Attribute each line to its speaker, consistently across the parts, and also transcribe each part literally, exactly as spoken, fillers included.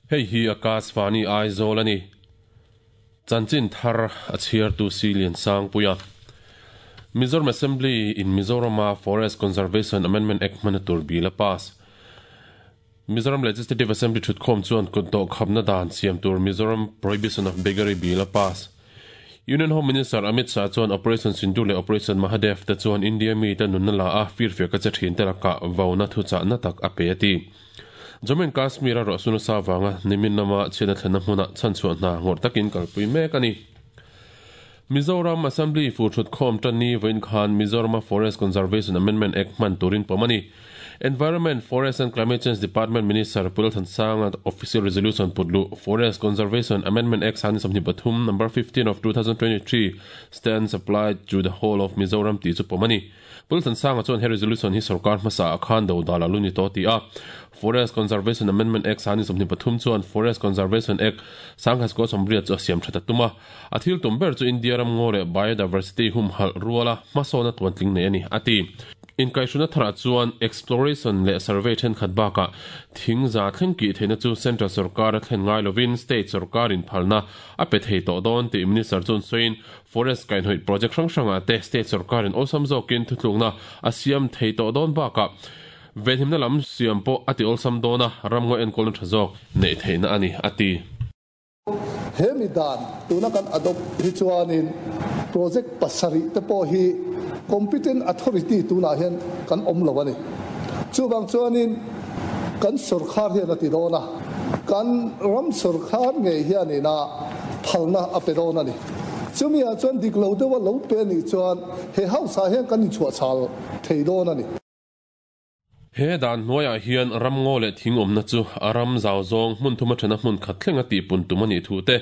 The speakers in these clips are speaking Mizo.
Speaker 1: Hei hi Akashvani Aizawl ani. Chanchin thar a chhiar tu Silian Sangpuia. Mizoram Assembly in Mizorama Forest Conservation Amendment Act hmana tur bill a pass. Mizoram Legislative Assembly thutkhawm chuan kutdawh khapna dan siam tur Mizoram Prohibition of Beggary bill a pass. Union Home Minister Amit Shah chuan Operation Sindoor leh Operation Mahadev te chuan India mi te nunna la a firfiak a che thin te lakah vauna thuchah na tak a pe a ti. Jammu and Kashmir a ruahsuna nasa avanga nimin lama chhiatna thlenna hmunah chhanchhuah hna ngawrh takin kalpui mek a ni. Mizoram Assembly fu thutkhawm tanni vawiin khan Mizorama Forest Conservation Amendment Act hman turin pawm a ni. Environment, Forest and Climate Change Department Minister Pu Lalthansanga Official Resolution putluh Forest Conservation Amendment Act sangni sawmhnih pathum Number fifteen of two thousand twenty three stands applied to the whole of Mizoram tih chu pawm a ni. Pu Lalthansanga chuan he resolution hi sorkar hmasa ah khan do dal a lu ni tawh ti a. Forest Conservation Amendment Act sangni sawmhnih pathum chuan Forest Conservation Act sangkhat sawmriat chu a siam that a tum a. A thil tum ber chu India ram ngaw leh biodiversity humhalh ruala hmasawna tuantling nei a ni, a ti. Inkaihhruna tharah chuan exploration leh survey thenkhat bakah thing za thleng kih theihna chu central sorkar a thlen ngai lovin state sorkarin phalna a pe thei tawh dawn tih minister chuan sawiin forest kainhawih project hrang hrangah te state sorkarin awlsam zawkin thutlukna a siam thei tawh dawn bakah venhimna lam siam pawh a ti awlsam dawn a, ramngaw enkawlna tha zawk neih theihna a ni, a ti.
Speaker 2: He mi dan tuna kan adopt hi chuanin project pasarih te pawh hi competent authority tunah hian kan awm lo a ni. Chuvang chuanin kan sorkar hian a ti dawn a, kan ram sorkar ngei hianin a phalna a pe dawn a ni. Chumi ah chuan dik lo deuha lo pe anih chuan he house ah hian kan inchhuahchhal thei dawn a ni.
Speaker 1: He dan hnuaiah hian ramngaw leh thing awmna chu a ram zau zawng hmun thuma thena hmun khat thleng a tihpun tum a nih thu te,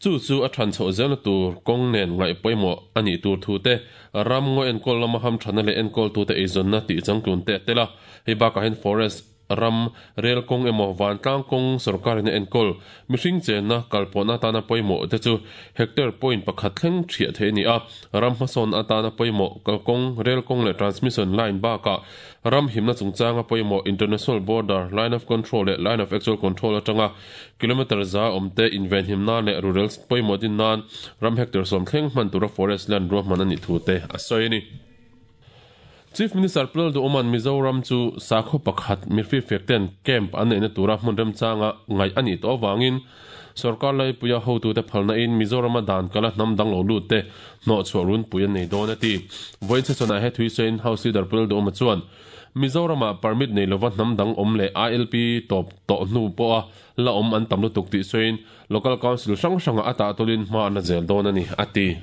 Speaker 1: chu chu a than chhoh zelna tur kawng nen ngaih pawimawh a nih tur thu te, ramngaw enkawl lama hamthana leh enkawltute eizawnna tih changtlun te a tel a. Hei bakah hian forest ram, rel kawng emaw vantlang kawng sorkarin a enkawl mihring chenna kalpawhna atana pawimawh te chu hectare point pakhat thleng thiah theih a ni a. Ram hmasawn atana pawimawh kalkawng, rel kawng leh transmission line bakah ram himna chungchanga pawimawh international border, line of control leh line of actual control atanga kilometre za awmte invenhim nan leh rural pawimawh din nan ram hectare sawm thleng hman tura forest land ruahman a nih thu te a sawi a ni. Chief Minister Pu Lalduhawma'n Mizoram chu sakhaw pakhat mirfirfiak ten camp an neihna tura hmun remchanga ngaih a nih tawh avangin sorkar laipuia hotute phalna in Mizorama dan kala hnam dang lo lut te hnawhchhuah runpui an nei dawn a ti. Vawiin chhechhawnah he thuisawiin House Leader Pu Lalduhawma chuan Mizorama permit nei lova hnam dang awm leh I L P tawp tawh hnu pawha la awm an tam lutuk tih sawiin Local Council hrang hrangah a tahtawlin hma an la zel dawn a ni, a ti.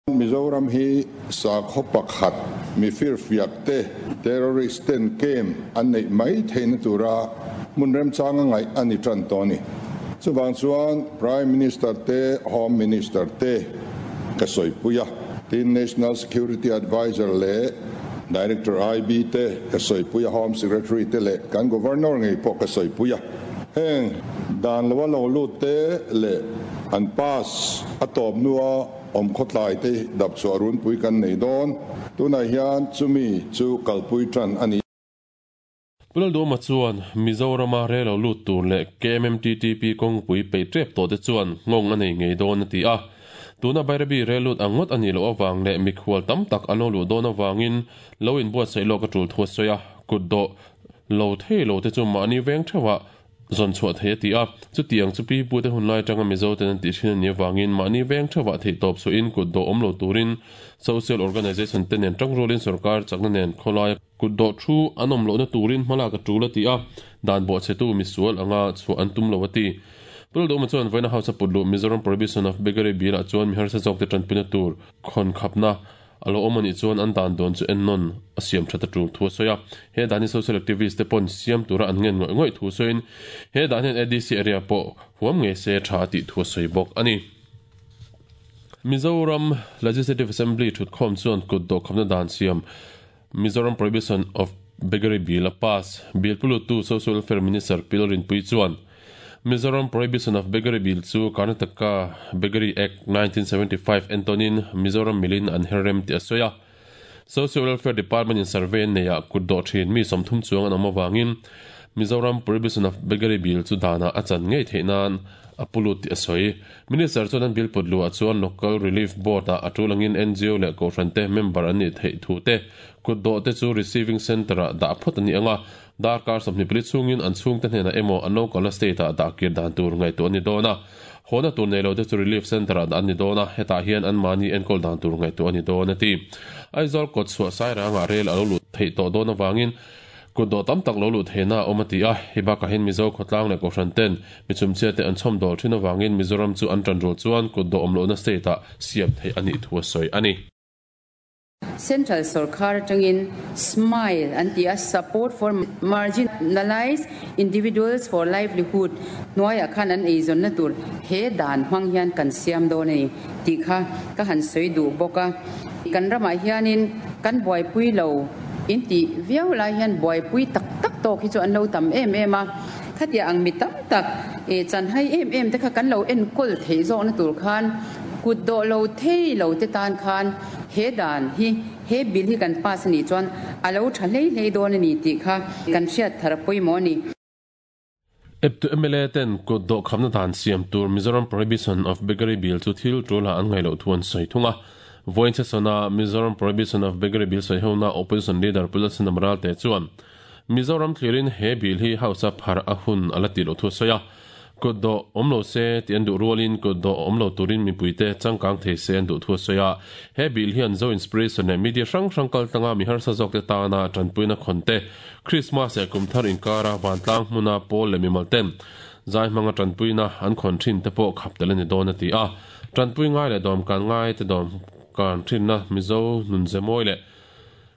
Speaker 3: Mizoram hi sakhaw pakhat mi firfiak te terrorist ten camp an neih mai theihna tura hmun remchanga ngaih a ni tan tawh a ni. Chuvang chuan Prime Minister te Home Minister te ka sawipui a, tin National Security Adviser leh Director I B te ka sawipui a, Home Secretary te leh kan Governor ngei pawh ka sawipui a. Heng dan loa lo lut te leh an pass a tawp hnua awm khawtlai te dap chhuah runpui kan nei dawn. Tunah hian chumi chu kalpui tan a ni.
Speaker 1: Pu Lalduhawma chuan Mizorama rel lo lut tur leh K M M T T P kawngpui peih tep tawh te chuan nghawng a nei ngei dawn a ti a. Tuna Bairabi rel lut ang ngawt a nih loh avang leh mikhual tam tak an lo luh dawn avangin lo inbuatsaih lawk a tul thu a sawi a. Kutdawh lo thei lo te chu mahni veng theuhah zawn chhuah thei a ti a. Chutiang chu pi pute hun lai atanga Mizo ten an tih thin a nih avangin mahni veng theuhah theihtawp suahin kutdawh awm lo turin social organisation te nen tangrualin sorkar chakna nen khawlaia kutdawh thu an awm lohna turin hmalak a tul a ti a. Dan bawhchhetu misual anga chhuah an tum lo a ti. Pu Lalduhawma chuan vawiina House a put luh Mizoram Prohibition of Beggary Bill ah chuan mi harsa zawkte tanpuina tur khawn khapna a lo awm a nih chuan an dan dawn chu ennawn a siam that a tul thu a sawi a. He dan hi social activist te pawn siam tura an ngen ngawih ngawih thu sawiin he dan hian A D C area pawh huam ngei se tha a tih thu a sawi bawk a ni. Mizoram Legislative Assembly thutkhawm chuan kutdawh khapna dan siam Mizoram Prohibition of Beggary Bill a pass. Bill pulutu Social Welfare Minister Pi Lalrinpuii chuan Mizoram Prohibition of Beggary Bill chu Karnataka Beggary Act nineteen seventy five entawnin Mizoram milin an her rem tih a sawi a. Social Welfare Department in survey an neiah kutdawh thin mi sawmthum chuang an awm avangin Mizoram Prohibition of Beggary Bill chu dana a chan ngei theinan apulut ti asoi minister chuan an bill put lu a chuan local relief board a atulangin N G O leh kohhran te member an ni thei thu te kut do te chu receiving center a da phot ani anga darkar somni pali chungin an chung te hnena emo an local state a da kir dan tur ngai tu ani dona hona tur nei lo te chu relief center a ani dona heta hian an mani enkol dan tur ngai tu ani dona ti Aizawl kot chhuah sai ranga rel alo lu thei to dona wangin kut do tam tak lo lu theina omati a hiba ka hin Mizo khotlang le kohhran ten michum che te an chhom dol thin awangin Mizoram chu an tan rul chuan kut do omlo na state a siam thei ani thu soi ani
Speaker 4: Central Sarkar tangin smile and the support for marginalized individuals for livelihood noya khan an eizon na tur he dan hwang hian kan siam do nei ti kha ka han soi du boka kan rama hianin kan boi pui lo in ti viau lai hian boi pui tak tak to khi chu an lo tam em em a khatia ang mi tam tak e chan hai em em te kha kan lo en kol thei zo na tur khan kut do lo thei lo te tan khan he dan hi he bil hi kan pass ni chuan alo tha hlei hlei don ani ti kha kan hriat thar pui mo ni
Speaker 1: Ep to M L A ten kut do khamna dan siam tur Mizoram Prohibition of Beggary Bill chu thil tula an ngai lo thuan soi thunga voin sona Mizoram Prohibition of Beggary Bill soi hona opposition leader Pulasin Amral te chuan Mizoram thlirin he bill hi house phar ahun alati lo thu soya kut do omlo se ti an du rualin kut do omlo turin mi puite changkang thei se an du thu soya he bill hian zo inspiration ne media hrang hrang kal tanga mi har sa jok te ta na tanpuina khonte Christmas e kumthar inkara wantlang hmuna pol le mi malten zai manga tanpuina an khon thin te po khap tel ni don ati a tanpui ngai le dom kan ngai te dom kan thin na Mizo nun zemoi le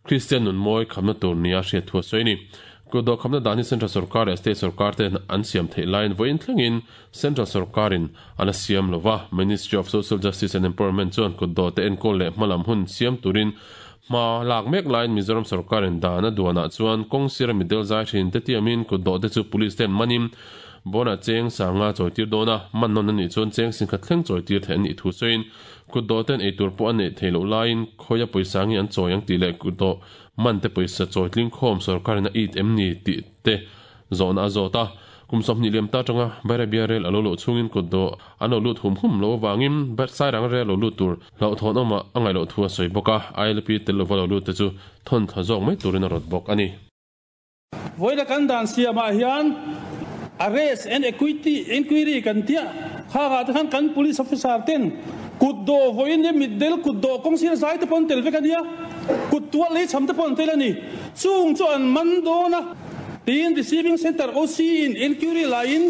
Speaker 1: Christian nun moi khamna tur nia hriat thu soini kudo khamna dani central sarkar state sarkar te an siam thei line voin thlengin central sarkarin ana siam lova Ministry of Social Justice and Empowerment chuan kudo te enkol le hmalam hun siam turin ma lak mek line Mizoram sarkarin dana duana chuan kong sira midel zai thin te tiamin kudo te chu police ten manim bona cheng sanga choitir dona man non ani chuan cheng sing kha thleng choitir the ani thu soin kudo ten eitur po ani theilo line khoya poisangi an choyang ti le kudo man te poisa choitling khom sarkarin a it em ni ti te zona azota kumsom ni lem ta tanga bare biarel alo lo chungin kudo ano lut hum hum lo wangin ber sai rang re lo lut tur lo thon oma angai lo thua soi boka I L P tel lo lo lut te chu thon tha jok mai turin a rot bok ani
Speaker 5: voida kan dan siama hian arrest and equity inquiry kan tia kha ga khan kan police officer ten kut do voin ne middel kut do kong sir sai te pon tel ve kan ya kut tua le cham te pon tel ani chung chu an man do na tin receiving center O C in inquiry line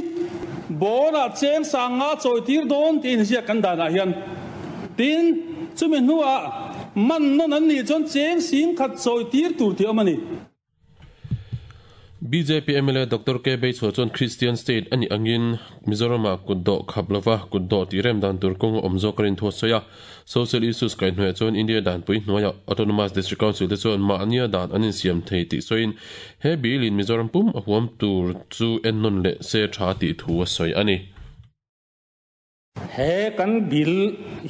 Speaker 5: bona cheng sanga choitir don tin sia kan dana hian tin chumi nuwa man non an ni chon cheng sing khat choitir tur ti amani
Speaker 1: B J P M L A Doctor K Bei chuan Christian State ani angin Mizorama kutdo khablova kutdo tirem dan tur kong omzo karin tho soya social issues kai hnuai chuan India dan pui hnuaia Autonomous District Council te chuan ma ania dan anin siam thei ti soin he bill in Mizoram pum a huam tur chu ennon le se tha ti thu a soi ani
Speaker 6: he kan bil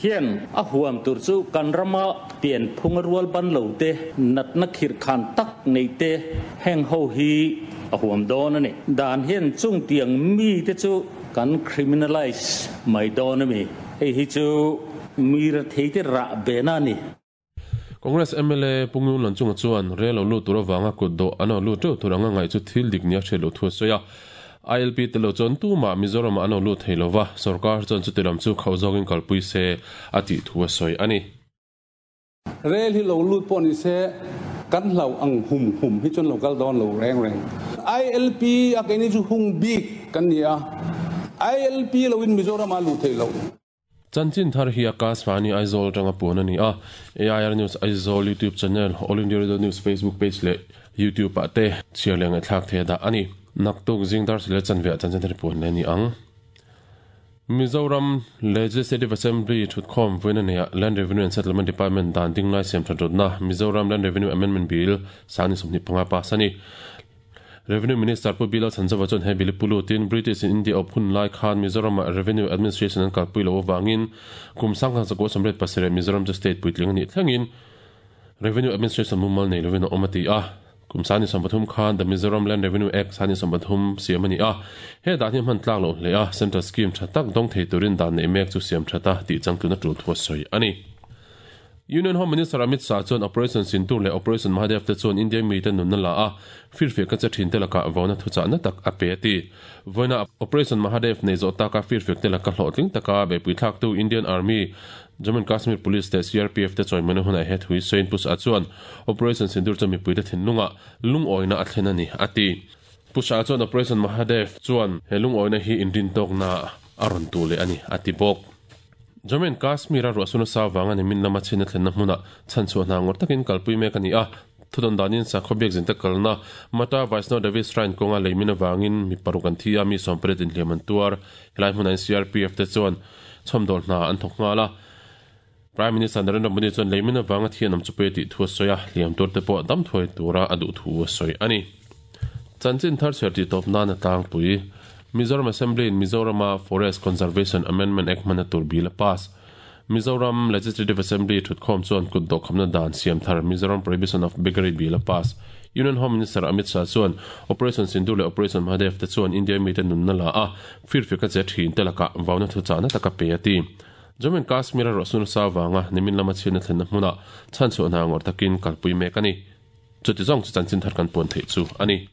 Speaker 6: hian a huam tur chu kan rama pian phung rual ban lo te nat na khir khan tak nei te heng ho hi a huam don ani dan hian chung tiang mi te chu kan criminalize mai don ami hei hi chu mi ra thei te ra be na ni
Speaker 1: Congress M L A pungun lan chunga chuan relo lu tur awanga kut do ano lu tu turanga ngai chu thil dik nia thelo thu soya I L P telo chon tu ma Mizoram ano lu theilova sarkar chon chu tilam chu khauzongin kalpui se ati thua soi ani
Speaker 5: rel hi lo lut pon se kan lo ang hum hum hi chon local don lo reng reng I L P a ke ni chu hung bik kan nia I L P lo in Mizoram a lu theilo
Speaker 1: Chanchin thar hi Akashvani Aizawl tanga pun ani a A I R News Aizawl YouTube channel All India Radio News Facebook page le YouTube ate chiarleng a thlak the da ani naktuk jingdar sile chanve chanchin thar pun le ni ang Mizoram Legislative Assembly thutkhom voina ne Land Revenue and Settlement Department dan dinglai sem thatrotna Mizoram Land Revenue Amendment Bill sani somni panga pasani Revenue Minister Pu Bilal Sanjava chuan he bill pulutin British in India ophun lai khan Mizoram Revenue Administration an kalpui lo wangin kum sangkhan chako samret pasere Mizoram chu state puitling ani thlengin Revenue Administration mumal nei lovin omati a Kum sani sampathum khan the Mizoram Land Revenue Act sani sampathum siam ani a he dan hi man tlak lo hle a central scheme thatak dong thei turin dan nei mek chu siam thata ti changtuna tul thua soi ani. Union Home Minister Amit Shah chuan Operation Sindoor le Operation Mahadev te chuan India mi te nun na la a firfe ka che thin te laka vona thucha na tak a pe ti voina Operation Mahadev nei zo taka firfe te laka hlotling taka be pui thak tu Indian Army, Jammu and Kashmir Police te C R P F te choi manu huna het hui soin pus a chuan Operation Sindoor chu mi pui te thin lunga lung oina a thlen ani ati pusha chuan Operation Mahadev chuan he lung oina hi indin tok na aron tu le ani ati bok. Jammu and Kashmir a ruasuna sa wanga ni min lama china thlen na hmuna chan chu na ngor takin kalpui mek ani a thudon danin sa khobiak jin ta kalna mata Vaishno Devi Shrine konga leimina wangin mi parukan thia mi sompret in hleman tuar helai hmuna C R P F te chuan chomdol na an thok nga la. Prime Minister Narendra Modi chuan leimina wanga thian am chupe ti thu soya liam tur te pawh dam thoi tura adu thu soi ani. Chanchin thar cher ti top na na tang pui Mizoram Assembly in Mizoram Forest Conservation Amendment Act mana tur bill pass. Mizoram Legislative Assembly thutkhom chuan kut do khamna dan siam thar Mizoram Prohibition of Beggary bill pass. Union Home Minister Amit Shah chuan Operation Sindoor le Operation Mahadev te chuan India mi te nun na la a firfe ka che thin te laka vauna thu cha na taka pe ati. Jammu and Kashmir a rosun sa wanga nimin lama china thlen na hmuna chan chu na ngor takin kalpui mek ani. Chuti zong chu chanchin thar kan pon thei chu ani.